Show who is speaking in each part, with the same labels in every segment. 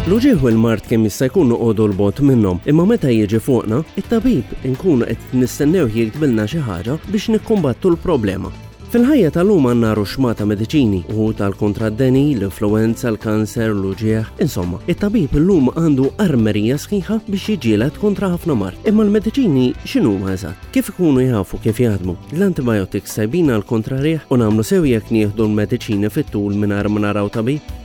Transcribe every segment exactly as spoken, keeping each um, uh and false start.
Speaker 1: L-uġigħ u l-mard kemm jista' jkun noqogħdu 'l bogħod minnhom, imma meta jiġi fuqna, it-tabib inkunu qed nistennew jiktbilna xi ħaġa biex nikkumbattu l-problema. Fil-ħajja tal-lum għandna ruxxmata mediċini u tal-kontra d-deni, l-influenza, l-kanser, l-uġigħ, insomma, it-tabib illum għandu armerija sħiħa biex jiġġieled kontra ħafna mard. Imma l-mediċini x'inhuma eżatt? Kif ikunu jafu kif jaħdmu? L-antibiotics tajbin għal kontra riħ u nagħmlu sew jekk nieħdu l-mediċini fit-tul mingħajr ma naraw tabib?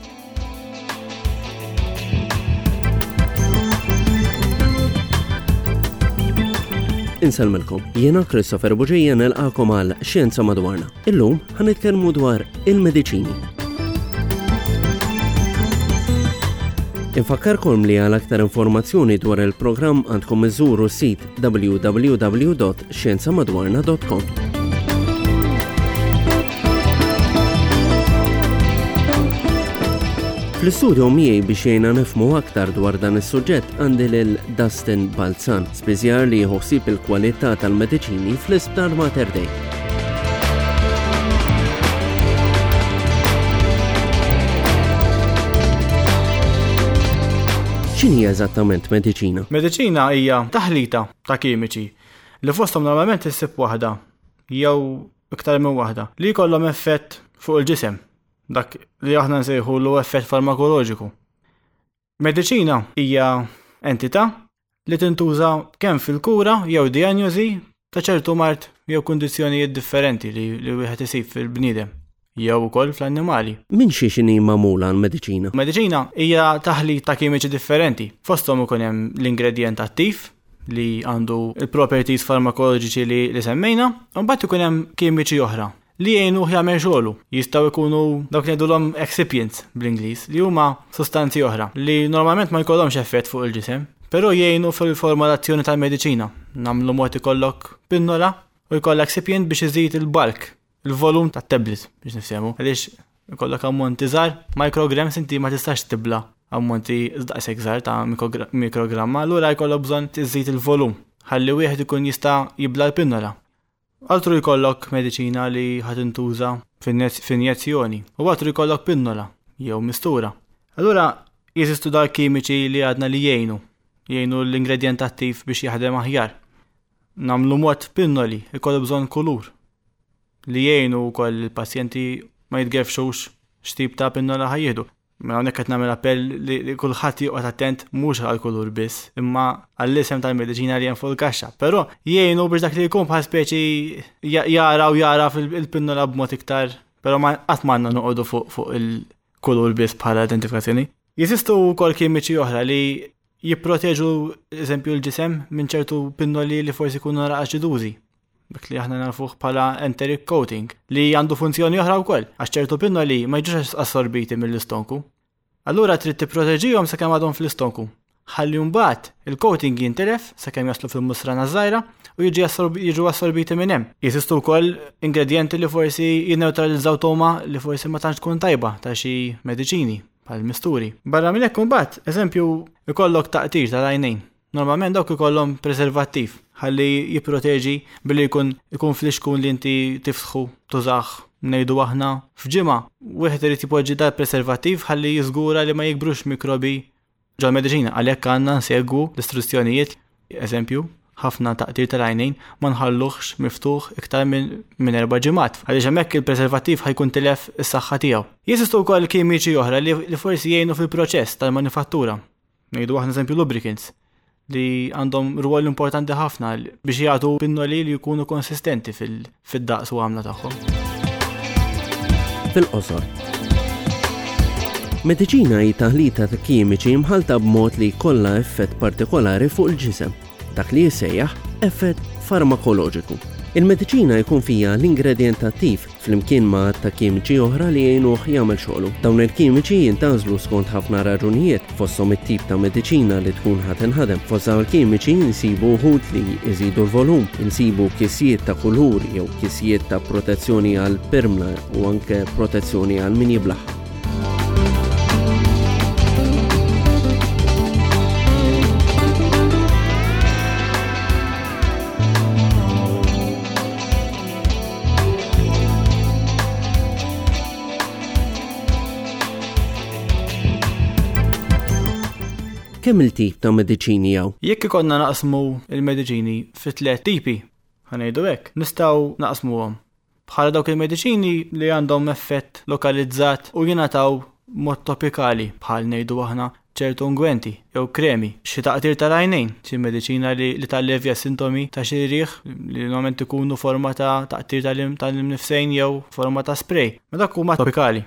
Speaker 1: Insellmilkom, jiena Christopher Bugeja nilqagħkom għal Xjenza Madwarna. Illum ħa nitkellmu dwar il-mediċini. Infakkarkom li għal aktar informazzjoni dwar il-programm għandkom iżuru s-sit w w w dot xjenzamadwarna dot com. Fl-istudio miegħi biex jgħinna nifhmu aktar dwar dan is-suġġett għandi lil Dustin Balzan, spiżjar li jieħu ħsieb il-kwalità tal-mediċini fl-Isptar Mater Dei. X'inhi eżattament mediċina?
Speaker 2: Mediċina hija taħlita ta' kimiċi li fosthom normalment issib waħda jew iktar minn waħda li jkollhom effett fuq il-ġisem, dak li aħna nsejħulu effett farmakoloġiku. Mediċina hija entità li tintuża kemm fil-kura jew diagnosi ta' ċertu mard jew kundizzjonijiet differenti li, li wieħed isib fil-bniedem jew ukoll fl-annimali.
Speaker 1: Minn xi x'inhi magħmula l-mediċina?
Speaker 2: Mediċina hija taħlit ta' kimiċi differenti. Fosthom ikun hemm l-ingredjent attiv li għandu il-properties farmakoloġiċi li, li semmejna, u mbagħad ikun hemm kimiċi oħra li jgħinuh jagħmel xogħlu. Jistgħu jkunu dawk li ngħidulhom excipients bl-Ingliż, li huma sostanzi oħra li normalment ma jkollhomx effett fuq il-ġisem, però jgħinu fil-formulazzjoni tal-mediċina. Nagħmlu mod ikollok pinnola u jkollok excipient biex iżid il-bulk, il-volum tat-tablet biex nifhmu. Għaliex ikollok ammonti żgħar, micrograms, inti ma tistax tibla ammonti daqshekk żgħar ta' mikrogra-, mikrogramma, allura jkollok bżonn tiżid il-volum ħalli wieħed ikun jista' jibla l-pinnola. Altru jkollok mediċina li ħa tintuża f'injezzjoni u altru jkollok pinnola jew mistura. Allura jeżistu dal kimiċi li għadna li jgħinu, jgħinu l-ingredjent attiv biex jaħdem aħjar. Namlu mod pinnoli, ikollu bżonn kulur li jgħinu wkoll il-pazjenti ma jitgerfxux x'tip ta' pinnola ħa jieħdu. Mela hawnhekk qed nagħmel appell li, li kulħadd joqgħod attent mhux għal kulur biss, imma għall-isem tal-mediċina li hemm fuq il-kaxxa. Però jgħinu biex dak li jkun bħal speċi ja-, jara u jara fil-pinnola b'mod iktar, però ma qatt m'għandna noqogħdu fuq, fuq il-kulur biss bħala identifikazzjoni. Jeżistu wkoll kimiċi oħra li jipproteġu eżempju l-ġisem minn ċertu pinnoli li forsi jkunu nara aċidużi, dak li aħna nafuh bħala enteric coating, li għandu funzjoni oħra wkoll, għax ċertu pinnoli ma jiġux assorbiti mill-istonku. Allura trid tipproteġihom sakemm għadhom fl-istonku. Ħalli mbagħad il-coating jintilef sakemm jaslu fil-musrana żgħira u jiġi assorb-, jiġu assorbiti minn hemm. Jeżistu wkoll ingredjenti li forsi jinneutralizzaw toma li forsi ma tantx tkun tajba ta' xi mediċini bħal misturi. Barra minn hekk imbagħad, eżempju, ikollok taqtir tal-għajnejn. Normalment dawk ikollhom preservattiv ħalli jipproteġi billi jkun, ikun flixkun li inti tiftħu tużah ngħidu aħna f'ġimgħa. Wieħed irid jipoġġi dal preservattiv ħalli jiżgura li ma jikbrux mikrobi ġol-mediċina, għalhekk għandna nsegwu l-istruzzjonijiet. Eżempju, ħafna taqtir tal-għajnejn ma nħalluhx miftuħ iktar minn, minn erba' ġimgħat, għaliex hemmhekk il-preservattiv ħajkun tilef is-saħħa tiegħu. Jeżistu wkoll kimiċi oħra li, li forsi jgħinu fil-proċess tal-manifattura. Ngħidu aħna eżempju lubricants li għandhom rwol importanti ħafna biex jagħtu pinnoli li jkunu konsistenti fil-, fid-daqs u għamla tagħhom.
Speaker 1: Fil-qosor. Mediċina hi taħlita ta' kimiċi mħalta b'mod li jkollha effett partikolari fuq il-ġisem, dak li jissejjaħ effett farmakoloġiku. Il-mediċina jkun fija l-ingredjent attiv flimkien ma' ta' kimiċi oħra li jgħinuh jagħmel xogħlu. Dawn il-kimiċi jintgħażlu skont ħafna raġunijiet, fosthom it-tip ta' mediċina li tkun ħa tinħadem. Fost dawn il-kimiċi nsibu wħud li jżidu l-volum, insibu kisjiet ta' kulur jew kisjiet ta' protezzjoni għal pirmla u anke protezzjoni għal min jiblaħ. Kemm il-tip ta' mediċini hawn?
Speaker 2: Jekk ikollna naqsmu il-mediċini fi tliet tipi, ħa ngħidu hekk, nistgħu naqsmuhom bħala dawk il-mediċini li għandhom effett lokalizzat u jingħataw mod topikali, bħal ngħidu aħna ċertu ungwenti jew kremi, xi taqtir tal-għajnejn, xi mediċina li, li tallevja sintomi ta' xi riħ li normalment ikunu forma ta' taqtir tal-imnifsejn jew forma ta' spray. Ma dak huma topikali.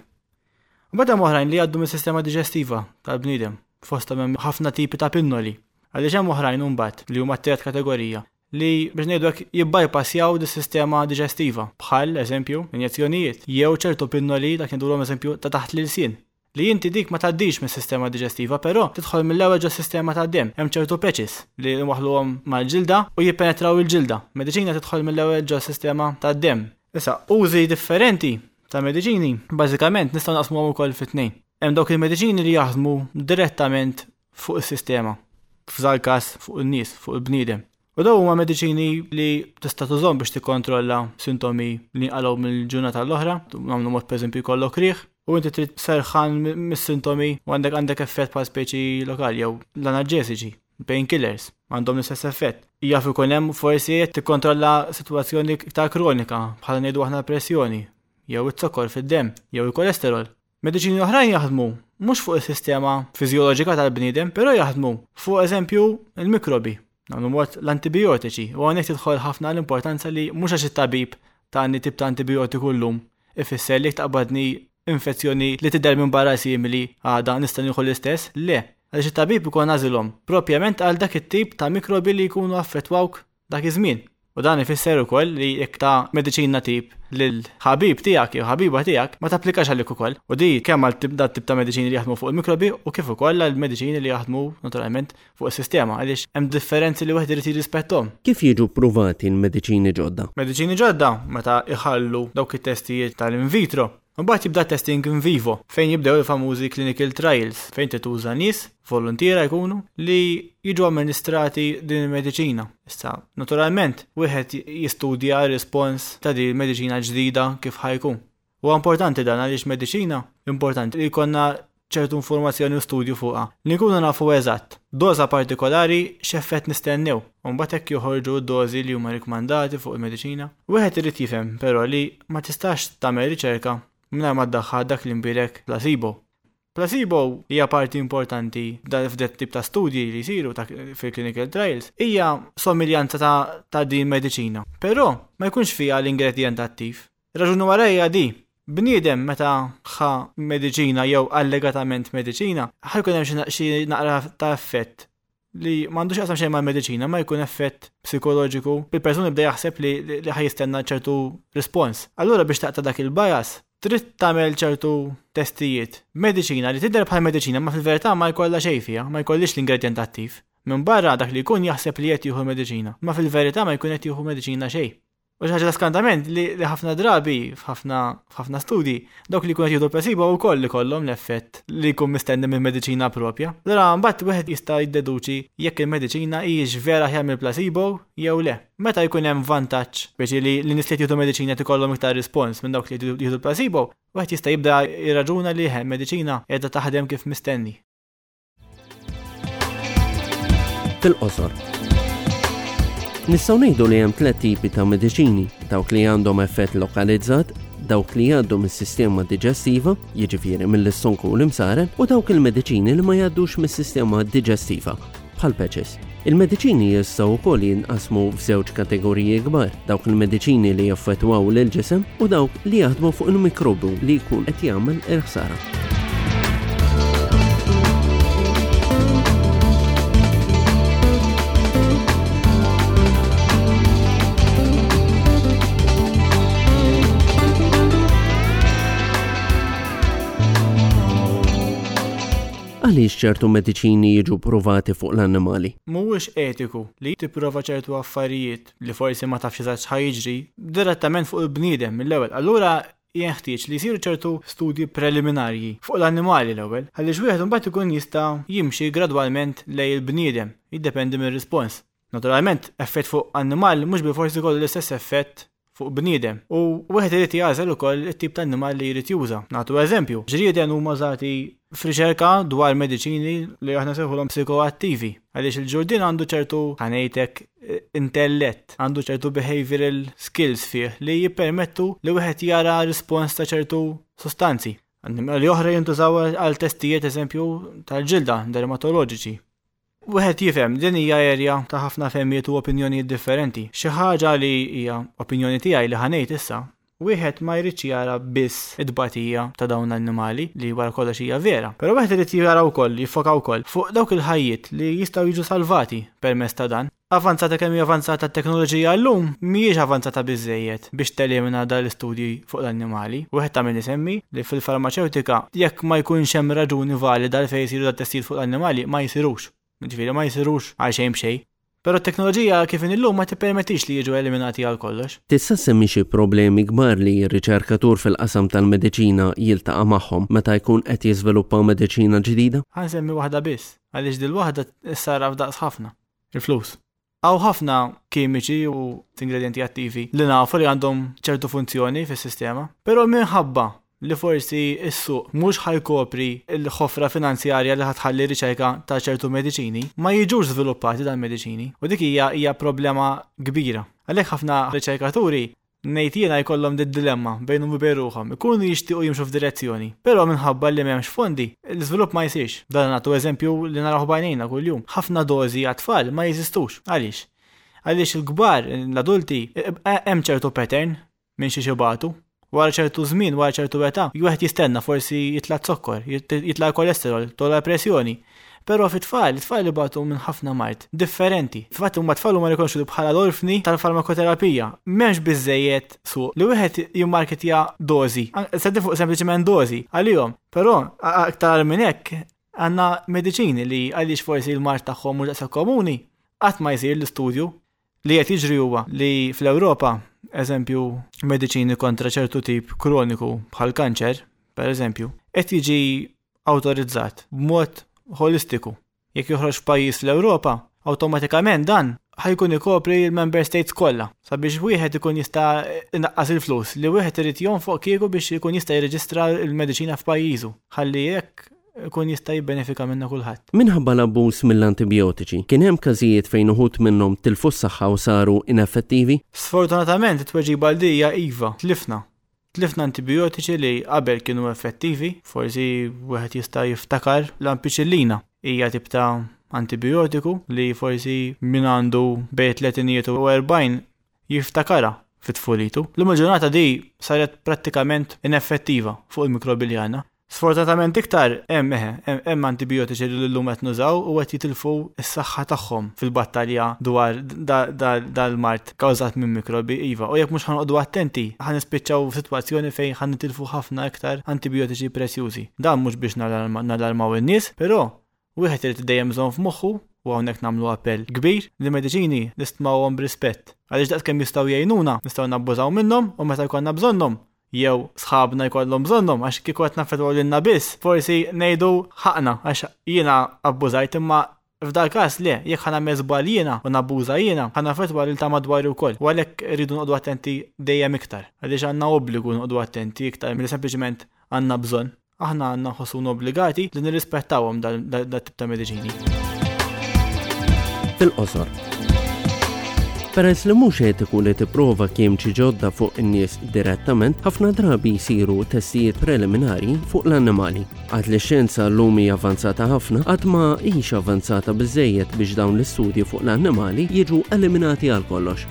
Speaker 2: Mbagħad hemm oħrajn li jgħaddu mis-sistema diġestiva tal-bniedem, fosthom hemm ħafna tipi ta' pinnoli. Għaliex hemm oħrajn imbagħad li huma t-tielet kategorija li biex ngħidu hekk jibbypassjaw dis-sistema diġestiva, bħal eżempju injezzjonijiet jew ċertu pinnoli dak ngħidulhom eżempju ta' taħt l-ilsien. Li inti dik ma tgħaddix mis-sistema diġestiva, però tidħol mill-ewwel ġo sistema tad-demm. Hemm ċertu patches li nwaħħluhom mal-ġilda u jippenetraw il-ġilda. Mediċina tidħol mill-ewwel ġo sistema tad-demm. Issa, użi differenti ta' mediċini, bażikament nistgħu naqsmuhom ukoll fi tnejn. Hemm dawk il-mediċini li jaħdmu direttament fuq is-sistema, f'dal każ fuq in-nies, fuq il-bniedem. U dawn huma mediċini li tista' tużhom biex tikkontrolla sintomi li nqalgħu mill-ġurnata l-oħra, nagħmlu mod pereżempju jkollok riħ, u inti trid serħan mis-sintomi u għandek għandek effett bħal speċi lokali jew l-analġesiċi, painkillers, għandhom l-istess effett. Jaf ikun hemm forsi qed tikkontrolla sitwazzjoni iktar kronika bħala ngħidu aħna pressjoni, jew iz-zokkor fid-demm, jew il-kolesterol. Mediċini oħrajn jaħdmu mhux fuq is-sistema fiżjoloġika tal-bniedem, però jaħdmu fuq eżempju il-mikrobi. Nagħmlu mod l-antibiotiċi, u hawnhekk tidħol ħafna l-importanza li mhux għax it-tabib tani tip ta' antibiotiku llum ifisser li taqbadni infezzjoni li tidher minn barra simili għada nista' nieħu l-istess, le, għaliex it-tabib ikun għażilhom propjament għal dak it-tip ta' mikrobi li jkunu affettwawk dak iż-żmien. U dan ifisser ukoll li jekk ta' mediċina tip lil ħabib tiegħek jew ħabiba tiegħek ma tapplikax għalik ukoll. U di kemm għal tip dat tip ta' mediċini li jaħdmu fuq il-mikrobi u kif ukoll għal mediċini li jaħdmu naturalment fuq is-sistema, għaliex hemm differenzi li wieħed irid jirrispetthom.
Speaker 1: Kif jiġu ppruvati l-mediċini ġodda?
Speaker 2: Mediċini ġodda meta iħallu dawk it-testijiet tal-in vitro. Mbagħad jibda testing in vivo, fejn jibdew il-famużi clinical trials, fejn tituża nies, volontiera jkunu, li jiġu amministrati din il-mediċina. Issa, naturalment, wieħed jistudja r-rispons ta' din il-mediċina ġdida kif ħajkun. Huwa importanti dan għaliex mediċina importanti li jkollna ċertu informazzjoni u studju fuqha, li nkunu nafu eżatt doża partikolari x'effett nistennew, u mbagħad hekk joħorġu d-dożi li huma rikmandati fuq il-mediċina. Wieħed irid jifhem però li ma tistax tagħmel riċerka mingħajr ma ddaħħal dak li nbierek placebo. Placebo hija parti importanti f'det tip ta' studji li jsiru fil-clinical trials, hija somiljanza ta', ta' din mediċina. Però ma jkunx fiha l-ingredient attiv. Raġuni wara hija di. Bniedem meta ħa mediċina jew allegatament mediċina, ħa jkun hemm xi naqra ta' effett li m'għandux jaqsam xejn mal-mediċina, ma jkun effett psikoloġiku, il-persuna jibda jaħseb li, li ħa jistenna ċertu rispons. Allura biex taqta' dak il-bias, trid tagħmel ċertu testijiet. Mediċina li tidher bħal mediċina ma fil-verità ma jkollha xejn fiha, ma jkollix l-ingredient attiv. Minn barra dak li jkun jaħseb li qed jieħu mediċina, ma fil-verità ma jkun qed jieħu mediċina xejn. U xi ħaġa ta' skantament li, li ħafna drabi f'ħafna, f'ħafna studji dawk li jkunu qed jieħdu placebo wkoll li kollhom l-effett li jkun mistenni minn mediċina propja. Allura mbagħad wieħed jista' jiddeduċi jekk il-mediċina hijiex vera aħjar mill-placebo jew le. Meta jkun hemm vantaġġ biex li l-nies li jieħdu mediċina qed ikollhom iktar rispons minn dawk li jieħdu placebo, wieħed jista' jibda jirraġuna li hemm mediċina qiegħda taħdem kif mistenni.
Speaker 1: Fil-qosor. Nistgħu ngħidu li hemm tliet tipi ta' mediċini, dawk li għandhom effett lokalizzat, dawk li jgħaddu mis-sistema diġestiva, jiġifieri mill-istonku u l-imsaren, u dawk il-mediċini li ma jgħaddux mis-sistema diġestiva, bħal patches. Il-mediċini jistgħu wkoll jinqasmu f'żewġ kategoriji kbar, dawk il-mediċini li jaffettwaw lill-ġisem u dawk li jaħdmu fuq il-mikrobu li jkun qed jagħmel il-ħsara. Għaliex ċertu mediċini jiġu provati fuq l-annimali?
Speaker 2: Mhuwiex etiku li tipprova ċertu affarijiet li forsi ma tafx eżatt x'ħa jiġri direttament fuq il-bniedem mill-ewwel. Allura jenħtieġ li jsiru ċertu studji preliminarji fuq l-annimali l-ewwel, għaliex wieħed imbagħad ikun jista' jimxi gradwalment lejn il-bniedem, jiddependi mir-rispons. Naturalment, effett fuq annimal mhux bilfors ikollu l-istess effett fuq bniedem. U wieħed irid jagħżel ukoll it-tip ta' annimal li jrid juża. Nagħtu eżempju, ġrieden huma użati f'riċerka dwar mediċini li aħna sejħulhom psikoattivi. Għaliex il-ġurdien għandu ċertu, ħa ngħidlek, intellett, għandu ċertu behavioral skills fih li jippermettu li wieħed jara rispons ta' ċertu sostanzi. Annimali oħra jintużaw għal testijiet eżempju tal-ġilda dermatoloġiċi. Wieħed jifhem din hija erja ta' ħafna fehmiet u opinjonijiet differenti. Xi ħaġa li hija opinjoni tiegħi li ħa ngħid issa, wieħed ma jridx jara biss it-tbatija ta' dawn l-annimali li wara kollox hija vera. Però wieħed irid jara wkoll, jiffoka wkoll fuq dawk il-ħajjiet li jistgħu jiġu salvati permezz ta' dan. Avanzata kemm hija avanzata t-teknoloġija llum, mhijiex avanzata biżejjed biex telimina dan l-istudji fuq l-annimali. Wieħed ta' min isemmi li fil-farmaċewtika jekk ma jkunx hemm raġuni valida għal fejn jsiru dat-testijiet fuq l-annimali ma jsirux. Ġifieri ma jsirux għal xejn b'xejn. Però t-teknoloġija kif inhi llum ma tippermettix li jiġu eliminati għal kollox.
Speaker 1: Tista' semmi xi problemi kbar li r-riċerkatur fil-qasam tal-mediċina jiltaqa' magħhom meta jkun qed jiżviluppa mediċina ġdida?
Speaker 2: Ħa nsemmi waħda biss, għaliex dil waħda issarraf daqs ħafna. Il-flus. Hawn ħafna kimiċi u ingredienti attivi li nafu li għandhom ċertu funzjoni fis-sistema, però minħabba li forsi s-suq mhux ħa jkopri l-ħofra finanzjarja li ħa tħalli riċerka ta' ċertu mediċini, ma jiġux żviluppati dan mediċini. U dik hija hija problema kbira. Għalhekk ħafna riċerkaturi ngħid jiena jkollhom dit dilemma bejnhom u bejn ruħhom, ikunu jixtiequ jimxu f'direzzjoni, però minħabba li m'hemmx fondi, l-iżvilupp ma jsirx. Dan nagħtu eżempju li naraw b'għajnejna kuljum. Ħafna dożi għat-tfal ma jeżistux. Għaliex? Għaliex il-kbar, l-adulti, hemm ċertu pattern minn xi xibatu. Wara ċertu żmien, wara ċertu età, wieħed jistenna forsi jitla' zokkor, jitla' kolesterol, tola pressjoni. Però fit-tfal, it-tfal ibatu minn ħafna mard differenti. Fatt huma tfal huma rikonoxxuti bħala l-orfni tal-farmakoterapija. M'hemmx biżejjed suq li wieħed jimmarketja dożi. Se fuq sempliċement dożi għalihom. Però aktar minn hekk għandna mediċini li għaliex forsi l-mard tagħhom mhux daqshekk komuni, qatt ma jsir l-istudju. Li qed jiġri huwa li fl-Ewropa, eżempju, mediċini kontra ċertu tip kroniku bħal kanċer, per eżempju, qed jiġi awtorizzat b'mod holistiku. Jekk joħroġ f'pajjiż fl-Ewropa, awtomatikament dan ħa jkun ikopri l-member states kollha sabiex wieħed ikun jista' inaqqas il-flus li wieħed irid jonfoq kieku biex ikun jista' jirreġistra l-mediċina f'pajjiżu. Ħalli jekk ikun jista' jibbenefika minnha kulħadd.
Speaker 1: Minħabba l-abbuż mill-antibiotiċi, kien hemm każijiet fejn uħud minnhom tilfu s-saħħa u saru ineffettivi?
Speaker 2: Sfortunatament it-tweġiba għal din hija iva, tlifna. Tlifna antibiotiċi li qabel kienu effettivi, forsi wieħed jista' jiftakar l-ampiċillina. Hija tip ta' antibiotiku li forsi min għandu bejn tletinijiet u erbgħin jiftakarha fit-tfulitu. L-lum il-ġurnata di saret prattikament ineffettiva fuq il-mikrobi li għandna. Sfortunatament iktar hemm eħe, hemm antibiotiċi li llum qed nużaw u qed jitilfu s-saħħa tagħhom fil-battalja dwar dal-mard kawżat minn mikrobi iva. U jekk mhux ħa noqogħdu attenti, ħa nispiċċaw f'sitwazzjoni fejn ħa nitilfu ħafna iktar antibiotiċi prezzjużi. Dan mhux biex nalarmaw in-nies, però wieħed irid dejjem bżonn f'moħħu, u hawnhekk nagħmlu appell kbir, li mediċini nistmawhom b'rispett. Għaliex daqskemm jistgħu jgħinuna, nistgħu nabbużaw minnhom u meta jkollna bżonnhom, jew sħabna jkollhom bżonnhom, għax kieku qed naffettwaw lilna biss, forsi ngħidu ħaqna għax jiena abbużajt, imma f'dal każ le, jekk ħa nagħmel żball jiena u nabbuża jiena, ħa naffettwa lil ta' madwari wkoll. U għalhekk irridu noqogħdu attenti dejjem iktar, għaliex għandna obbligu noqogħdu attenti iktar milli sempliċement għandna bżonn. Aħna għandna nħossuna obbligati li nirrispettawhom dal tip ta' mediċini.
Speaker 1: Fil-qosor. Peress li mhux etiku li tipprova kimiċi ġodda fuq in-nies direttament, ħafna drabi jsiru testijiet preliminari fuq l-annimali. Għad li x-xjenza llum hija avanzata ħafna, għad ma hix avanzata biżejjed biex dawn l-istudji fuq l-annimali jiġu eliminati għal kollox.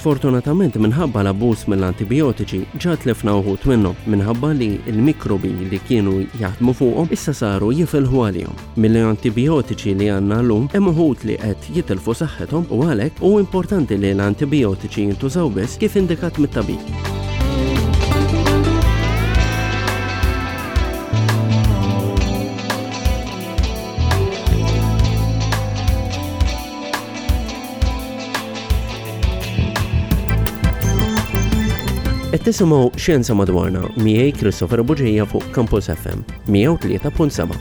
Speaker 1: Sfortunatament minħabba l-abbuż mill-antibiotiċi ġa tlifna uħud minnhom minħabba li l-mikrobi li kienu jaħdmu fuqhom issa saru jifilħu għalihom. Mill-antibiotiċi li għandna llum hemm uħud li qed jitilfu saħħithom u għalhekk hu importanti li l-antibiotiċi jintużaw biss kif indikat mit-tabib. Qed tisimgħu Xjenza Madwarna miegħi Christopher Bugeja fuq Campus F M mija u tlieta punt seba'.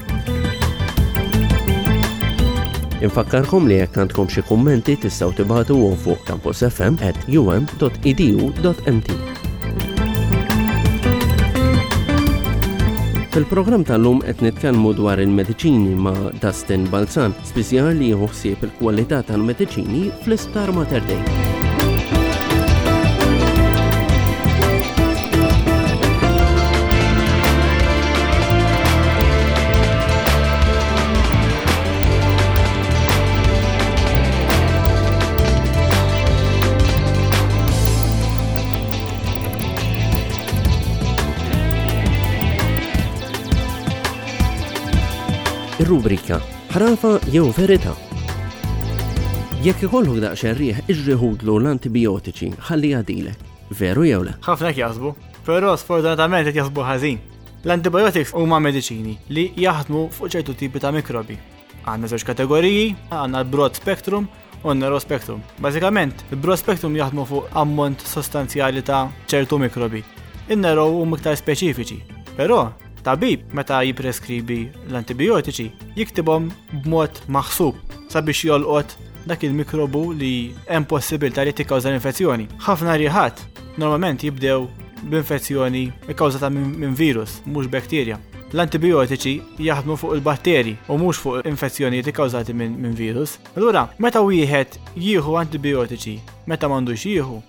Speaker 1: Infakkarkom li jekk għandkom xi kummenti tistgħu tibagħtuhom fuq campusfm at um dot edu dot M T. Fil-programm tal-lum qed nitkellmu dwar il-mediċini ma' Dustin Balzan, spiżjar li jieħu ħsieb il-kwalità tal-mediċini fl-Isptar Mater Dei. Ir-rubrika Ħrafa jew Verità. Jekk ikollok daqsxejn riħ, iġri ħudlu l-antibiotiċi ħalli jgħaddilek. Veru jew le?
Speaker 2: Ħafna jaħsbu, però sfortunatament qed jaħsbu ħażin. L-antibiotics huma mediċini li jaħdmu fuq ċertu tipi ta' mikrobi. Għandna żewġ kategoriji, għandna l-broad spectrum u n-narrow spectrum. Bażikament, il-broad spectrum jaħdmu fuq ammont sostanzjali ta' ċertu mikrobi. In-narrow huma iktar speċifiċi. Però tabib meta jipreskribi l-antibiotiċi jiktibhom b'mod maħsub sabiex jolqot dak il-mikrobu li hemm possibilità li tikkawża l-infezzjoni. Ħafna riħat normalment jibdew b'infezzjoni ikkawżata minn virus, mhux bakterja. L-antibiotiċi jaħdmu fuq il-batteri u mhux fuq infezzjonijiet ikkawżati minn min virus. Allura, meta wieħed jieħu antibiotiċi meta m'għandux jieħu,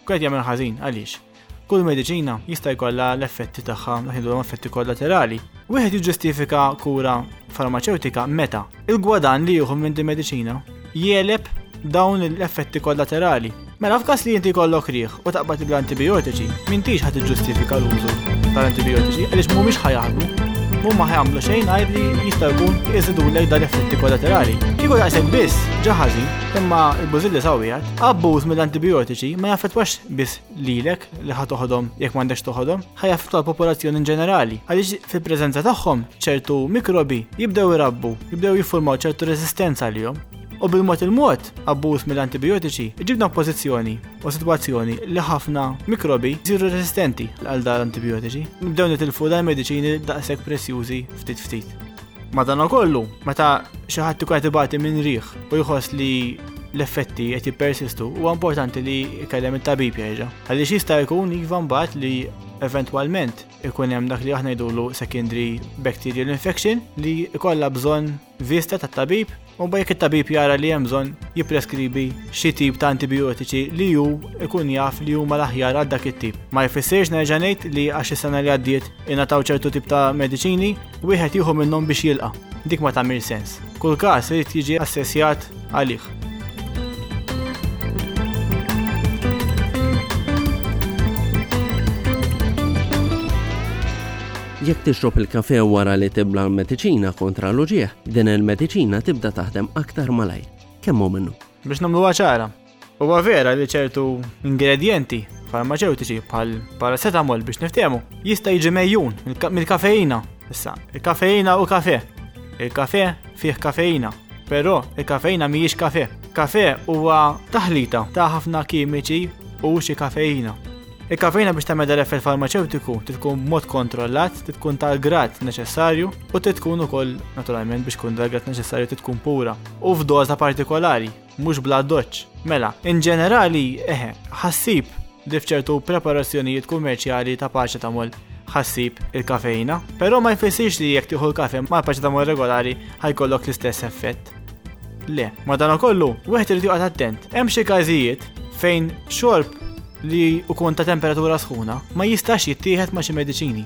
Speaker 2: qed jagħmel ħażin. Għaliex? Kull mediċina jista' jkollha l-effetti tagħha, ngħidulhom effetti kollaterali. Wieħed jiġġustifika kura farmaċewtika meta il-gwadan li jieħu minn din mediċina jegħleb dawn l-effetti kollaterali. Mela f'każ li inti jkollok riħ u taqbad l-antibiotiċi, m'intix ħa tiġġustifika l-użu tal-antibiotiċi għaliex mhumiex ħa jaħdmu. Mhuma ħa jagħmlu xejn għajr li jista' jkun iżidulek dan l-effetti kollaterali. Kieku daqshekk biss, ġa ħażin, imma l-bużilli sawwijat, abbuż mill-antibiotiċi ma jaffettwax biss lilek li ħa toħodhom jekk m'għandekx toħodhom, ħa jaffettwa l-popolazzjoni in ġenerali. Għaliex fil-preżenza tagħhom ċertu mikrobi jibdew irabbu, jibdew jiffurmaw ċertu resistenza għalihom. U bil-mod il-mod, abbuż mill-antibiotiċi ġibna pożizzjoni u sitwazzjoni li ħafna mikrobi jsiru resistenti għal dan l-antibiotiċi. Nibdew nitilfu dan mediċini daqshekk prezzjużi ftit ftit. Madankollu, meta xi ħadd ikun qed ibati minn riħ u jħoss li l-effetti qed jippersistu, huwa importanti li jkellem it-tabib jerġa'. Għaliex jista' jkun iva mbagħad li eventwalment ikun hemm dak li aħna ngħidulu secondary bacterial infection li jkollha bżonn vista tat-tabib, u mbagħad jekk it-tabib jara li hemm bżonn jippreskribi xi tip ta' antibiotiċi li hu ikun jaf li huma l-aħjar għal dak it-tip. Ma jfissirx, nerġa' ngħid, li għax is-sena li għaddiet ingħataw ċertu tip ta' mediċini, wieħed jieħu minnhom biex jilqa'. Dik ma tagħmel sens. Kull każ irid jiġi assessjat għalih.
Speaker 1: Jekk tixrob il-kafe wara li tibla l-mediċina kontra l-uġieħ, din il-mediċina tibda taħdem aktar malajr. Kemm hu minnu?
Speaker 2: Biex nagħmluha ċara, huwa vera li ċertu ingredienti farmaceutiċi bħal paracetamol, biex niftehmu, jista' jiġi megħjun mill-kafeina. Issa, il-kafeina u kafe. Il-kafe fih kafeina, però il-kafeina mhijiex kafe. Kafe huwa taħlita ta' ħafna kimiċi u xi kafeina. Il-kafeina biex tagħmel dal-effett farmaceutiku tkun b'mod kontrollat, tkun tal-grad neċessarju u tkun ukoll, naturalment, biex tkun dal-grad neċessarju tkun pura u f'doża partikolari, mhux bla doċ. Mela, in ġenerali, eħe, ħa ssib li f'ċertu preparazzjonijiet kummerċjali ta' paracetamol ħa ssib il-kafeina, però ma jfissirx li jekk tieħu l-kafe ma' paracetamol regolari ħa jkollok l-istess effett. Le, madankollu, wieħed irid joqgħod attent. Hemm xi każijiet fejn xorb li ukun ta' temperatura sħuna ma jistax jittieħed ma' xi mediċini.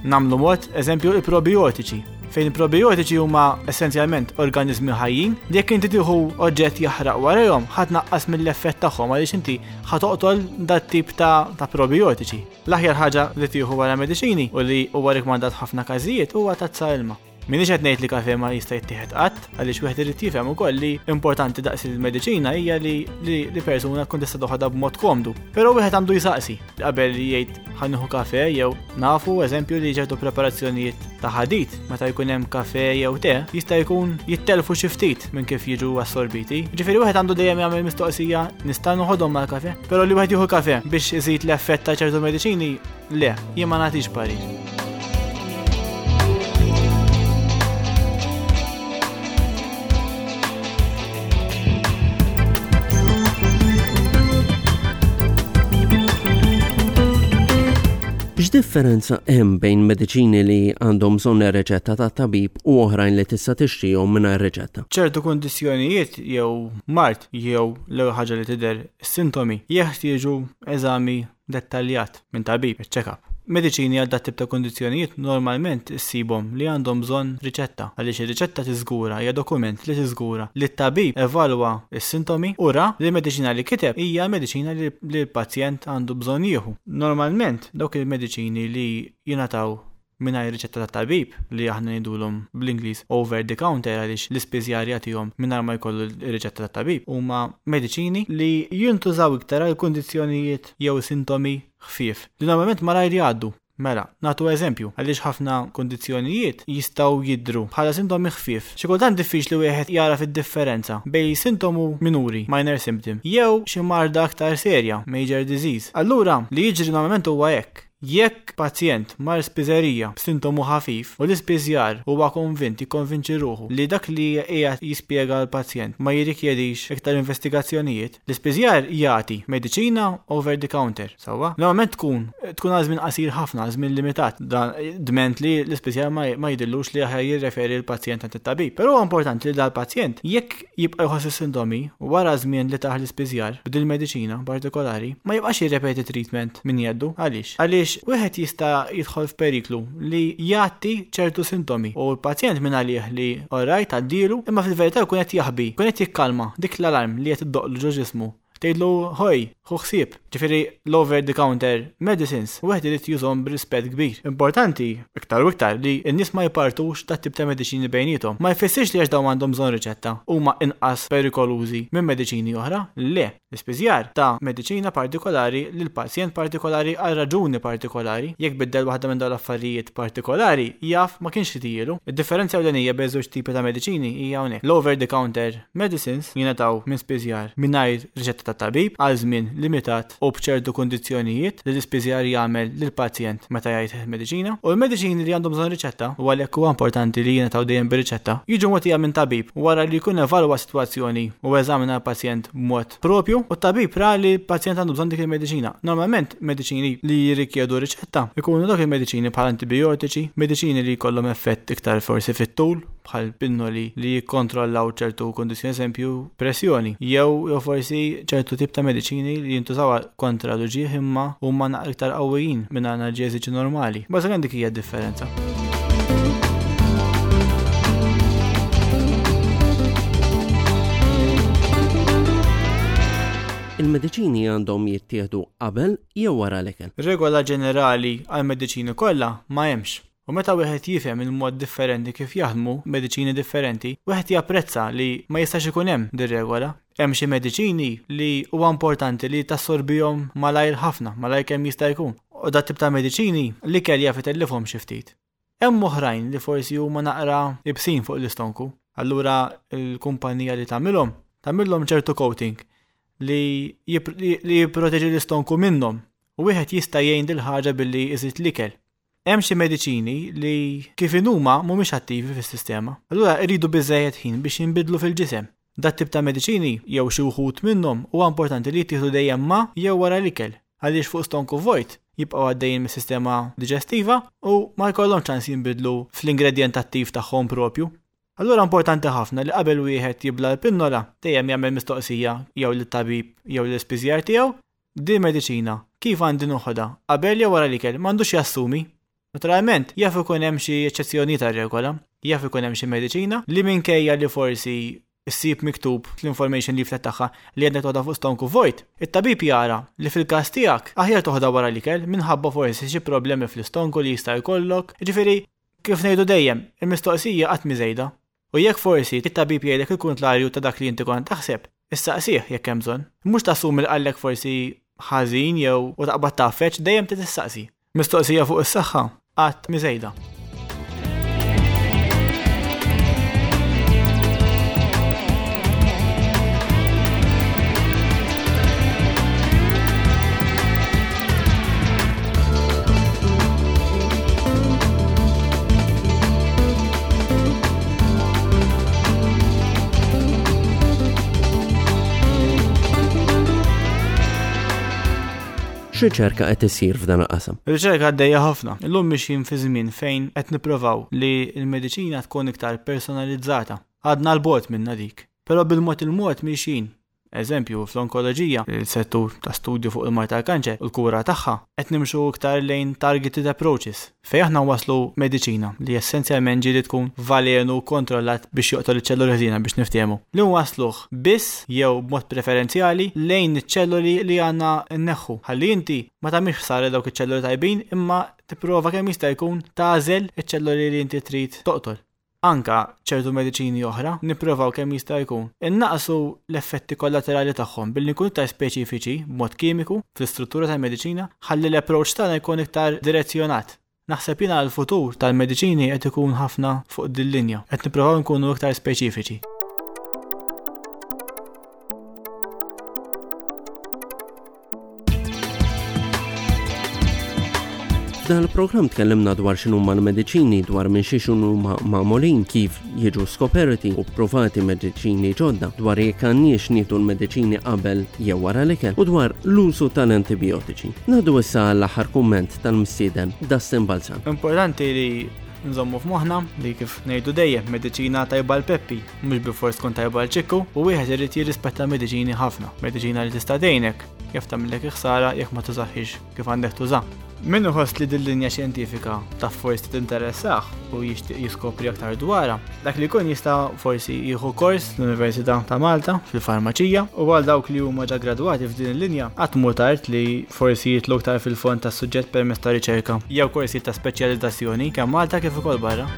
Speaker 2: Nagħmlu mod, eżempju, il-probiotiċi, fejn il-probiotiċi huma essenzjalment organizmi ħajjin li jekk inti tieħu oġġett jaħraq warahom ħa tnaqqas mill-effett tagħhom għaliex inti ħa toqtol dat tip ta', ta' probiotiċi. L-aħjar ħaġa li tieħu wara mediċini u li huwa rikmandat ħafna każijiet huwa tazza ilma. Minix qed ngħid li kafe ma jista' jittieħed qatt, għaliex wieħed irid jifhem ukoll li importanti daqs il-mediċina hija li li, li persuna tkun tista' toħodha b'mod komdu. Però wieħed għandu jsaqsi qabel jgħid ħa nieħu kafe. Jew nafu, eżempju, li ċertu preparazzjonijiet ta' ħadid meta jkun hemm kafe jew te jista' jkun jittelfu xi ftit minn kif jiġu assorbiti. Ġifieri wieħed għandu dejjem jagħmel mistoqsija: nista' noħodhom mal-kafe? Però li wieħed jieħu kafe biex iżid l-effett ta' ċertu mediċini, le, jien ma nagħtix parir.
Speaker 1: X'differenza hemm bejn mediċini li għandhom bżonn ir-riċetta tat-tabib u oħrajn li tista' tixtrihom mingħajr riċetta?
Speaker 2: Ċertu kundizzjonijiet jew mard jew l-ewwel ħaġa li tidher sintomi jeħtieġu eżami dettaljat minn tabib, check-up. Mediċini għal dat tip ta' kundizzjonijiet normalment issibhom li għandhom bżonn riċetta, għaliex ir-riċetta tiżgura, hija dokument li tiżgura li t-tabib evalwa s-sintomi u ra li l-mediċina li kiteb hija l-mediċina li l-pazjent għandu bżonn jieħu. Normalment dawk il-mediċini li jingħataw mingħajr riċetta tat-tabib, li aħna ngħidulhom bl-Ingliż over the counter għaliex l-ispiżjar jagħtihom mingħajr ma jkollu r-riċetta tat-tabib, huma mediċini li jintużaw iktar għal kundizzjonijiet jew sintomi ħfief li normalment malajr jgħaddu. Mela, nagħtu eżempju, għaliex ħafna kundizzjonijiet jistgħu jidhru bħala sintomi ħfief. Xi kultant diffiċli wieħed jara fid-differenza bejn sintomu minuri, minor symptom, jew xi marda aktar serja, major disease. Allura, li jiġri normalment huwa hekk. Jekk pazjent mar spiżerija b'sintomu ħafif u l-ispiżjar huwa konvint, jikkonvinċi ruħu li dak li qiegħed jispjega l-pazjent ma jirrikjedix iktar investigazzjonijiet, l-ispiżjar jagħti mediċina over the counter, sewwa? Normalment tkun tkun għal żmien qasir ħafna, għal żmien limitat, dan dment li l-ispiżjar ma ma jidillux li aħjar jirreferi l-pazjent għand it-tabib. Però huwa importanti li dal-pazjent jekk jibqa' jħoss is-sintomi wara żmien li taħ l-ispiżjar b'dil mediċina partikolari, ma jibqax jirrepeti treatment minn jeddu. Għaliex? Għaliex wieħed jista' jidħol f'periklu li jagħti ċertu sintomi u l-pazjent minn għalih li orajt għaddilu, imma fil-verità jkun qed jaħbi, jkun qed jikkalma dik l-alarm li qed iddoqlu ġo ġismu. Tgħidlu ħoj, ħu ħsieb. Ġifieri l-over the counter medicines wieħed irid jużhom b'rispett kbir. Importanti iktar u iktar li n-nies ma jpartux dat tip ta' mediċini bejniethom. Ma jfissirx li għax dawn għandhom bżonn riċetta huma inqas perikolużi minn mediċini oħra. Le, l-ispiżjar ta' mediċina partikolari lil pazjent partikolari għal raġuni partikolari. Jekk biddel waħda minn dawn l-affarijiet partikolari, jaf ma kienx jtijielu. Id-differenza ewlenija bejn żewġ tipi ta' mediċini hija hawnhekk. L-over the counter medicines jingħataw minn spiżjar mingħajr riċetta ta' tabib għal żmien limitat u b'ċertu kundizzjonijiet li l-ispiżjar jagħmel lill-pazjent meta jgħid mediċina, u l-mediċini li għandhom bżonn riċetta, u għalhekk huwa importanti li jingħataw dejjem bir-riċetta, jiġu mogħtija minn tabib wara li jkun evalwa s-sitwazzjoni u eżamina l-pazjent b'mod propju, u t-tabib ra li l-pazjent għandu bżonn dik il-mediċina. Normalment mediċini li jirrikjedu riċetta ikunu dawk il-mediċini bħal antibiotiċi, mediċini li jkollhom effett iktar forsi fit-tul, bħal pinnoli li jikkontrollaw ċertu kundizzjoni, eżempju pressjoni, jew, jew forsi ċertu tip ta' mediċini li jintużaw kontra l-uġigħ imma huma naqra iktar qawwijin minn analġeżiċi normali. Bażikament dik hija d-differenza.
Speaker 1: Il-mediċini għandhom jittieħdu qabel jew wara l-ikel?
Speaker 2: Regola ġenerali għall-mediċini kollha ma hemmx. U meta wieħed jifhem il-mod differenti kif jaħdmu mediċini differenti, wieħed japprezza li ma jistax ikun hemm dir-regola. Hemm xi mediċini li huwa importanti li tassorbihom malajr ħafna, malajr kemm jista' jkun. U dat tip ta' mediċini l-ikel jaf itellifhom xi ftit. Hemm oħrajn li forsi huma naqra ibsin fuq l-istonku. Allura l-kumpanija li tagħmilhom, tagħmilhom ċertu coating li jipr-, li, li jipproteġi l-istonku minnhom. U wieħed jista' jgħin dil ħaġa billi iżid l-ikel. Hemm xi mediċini li kif inhuma mhumiex attivi fis-sistema. Allura jridu biżżejjed ħin biex jinbidlu fil-ġisem. Dat tip ta' mediċini jew xi wħud minnhom huwa importanti li jittieħdu dejjem ma' jew wara l-ikel, għaliex fuq stonku vojt jibqgħu għaddejjin mis-sistema diġestiva u ma jkollhom ċans jinbidlu fl-ingredjent attiv tagħhom propju. Allura importanti ħafna li qabel wieħed jibla l-pinnola dejjem jagħmel mistoqsija jew lit-tabib jew l-ispiżjar tiegħu, din mediċina kif għandi noħodha qabel jew wara l-ikel, m'għandux jassumi. Naturalment, jaf ikun hemm xi eċċezzjoni tar-regola, jaf ikun hemm xi mediċina li minkejja li forsi ssib miktub fl-information leaflet tagħha li għandek toħodha fuq stonku vojt, it-tabib jara li fil-każ tiegħek aħjar toħodha wara l-ikel minħabba forsi xi problemi fl-istonku li jista' jkollok. Jiġifieri, kif ngħidu dejjem, il-mistoqsija qatt mhi żejda. U jekk forsi it-tabib jgħidlek il-kuntrarju ta' dak li inti kont taħseb, issaqsih jekk hemm bżonn. Mhux tassumi li qallek forsi ħażin jew u taqbad tgħaffeġ, dejjem trid tistaqsi. Mistoqsija fuq is-saħħa qatt mhi żejda.
Speaker 1: X'riċerka qed issir f'dan il-qasam?
Speaker 2: Riċerka għaddejja ħafna. Illum mixjin fi żmien fejn qed nippruvaw li l-mediċina tkun iktar personalizzata. Għadna 'l bogħod minna dik. Però bil-mod il-mod mixjin. Eżempju, fl-onkoloġija, il-settur ta' studju fuq il-mard tal-kanċer u l-kura tagħha, qed nimxu iktar lejn targeted approaches, fejn aħna waslu mediċina li essenzjalment ġieli tkun valenu kontrollat biex joqtol iċ-ċelluli ħżiena biex niftehmu. Li wasluh biss jew b'mod preferenzjali lejn iċ-ċelluli li għandna nneħħu. Ħalli inti ma tagħmilx ħsara dawk iċ-ċelluli tajbin imma tipprova kemm jista' jkun tagħżel iċ-ċelluli li inti trid toqtol. Anka ċertu mediċini oħra nipprovaw kemm jista' jkun. Innaqsu l-effetti kollaterali tagħhom billi nkunu iktar speċifiċi b'mod kimiku fl-istruttura tal-mediċina ħalli l-approach tagħna jkun iktar direzzjonat. Naħseb jiena l-futur tal-mediċini qed ikun ħafna fuq din linja, qed nipprovaw nkunu iktar speċifiċi.
Speaker 1: F'dan il-programm tkellimna dwar x'inhuma l-mediċini, dwar minn xiex huma magħmulin, kif jiġu skoperti u provati mediċini ġodda, dwar jekk għandniex nieħdu l-mediċini qabel jew wara l-ikel u dwar l-użu tal-antibiotiċi. Ngħaddu issa għall-aħħar kumment tal-mistieden Dustin Balzan.
Speaker 2: Importanti li nżommu f'moħħna li kif ngħidu dejjem mediċina tajba l Peppi, mhux bilfors tkun tajba l Ċikku, u wieħed irid jirrispetta mediċini ħafna. Mediċina li tista' tgħinek, jaf tagħmillek ħsara jekk ma tużaħiex kif għandek tuża. Min iħoss li din linja xjentifika ta' forsi tinteressah u jixtieq jiskopri aktar dwarha, dak li jkun jista' forsi jieħu kors l-Università ta' Malta fil-farmaċija, u għal dawk li huma ġa gradwati f'din il-linja qatt mhu tard li forsi jitlu aktar fil-fond tas-suġġett permezz ta' riċerka jew korsi ta' speċjalizzazzjoni kemm Malta kif ukoll barra.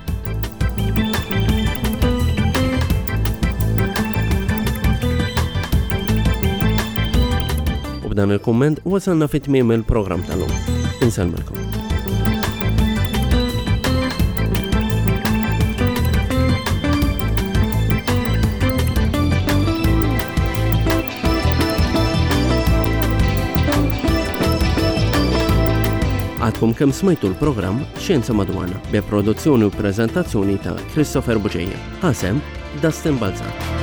Speaker 1: U b'dan il-kumment wasalna fi tmiem il-programm tal-lum. Insellmilkom. Għadkom kemm smajtu l-programm Xjenza Madwarna bi produzzjoni u preżentazzjoni ta' Christopher Bugeja. Ħasem Dustin Balzan.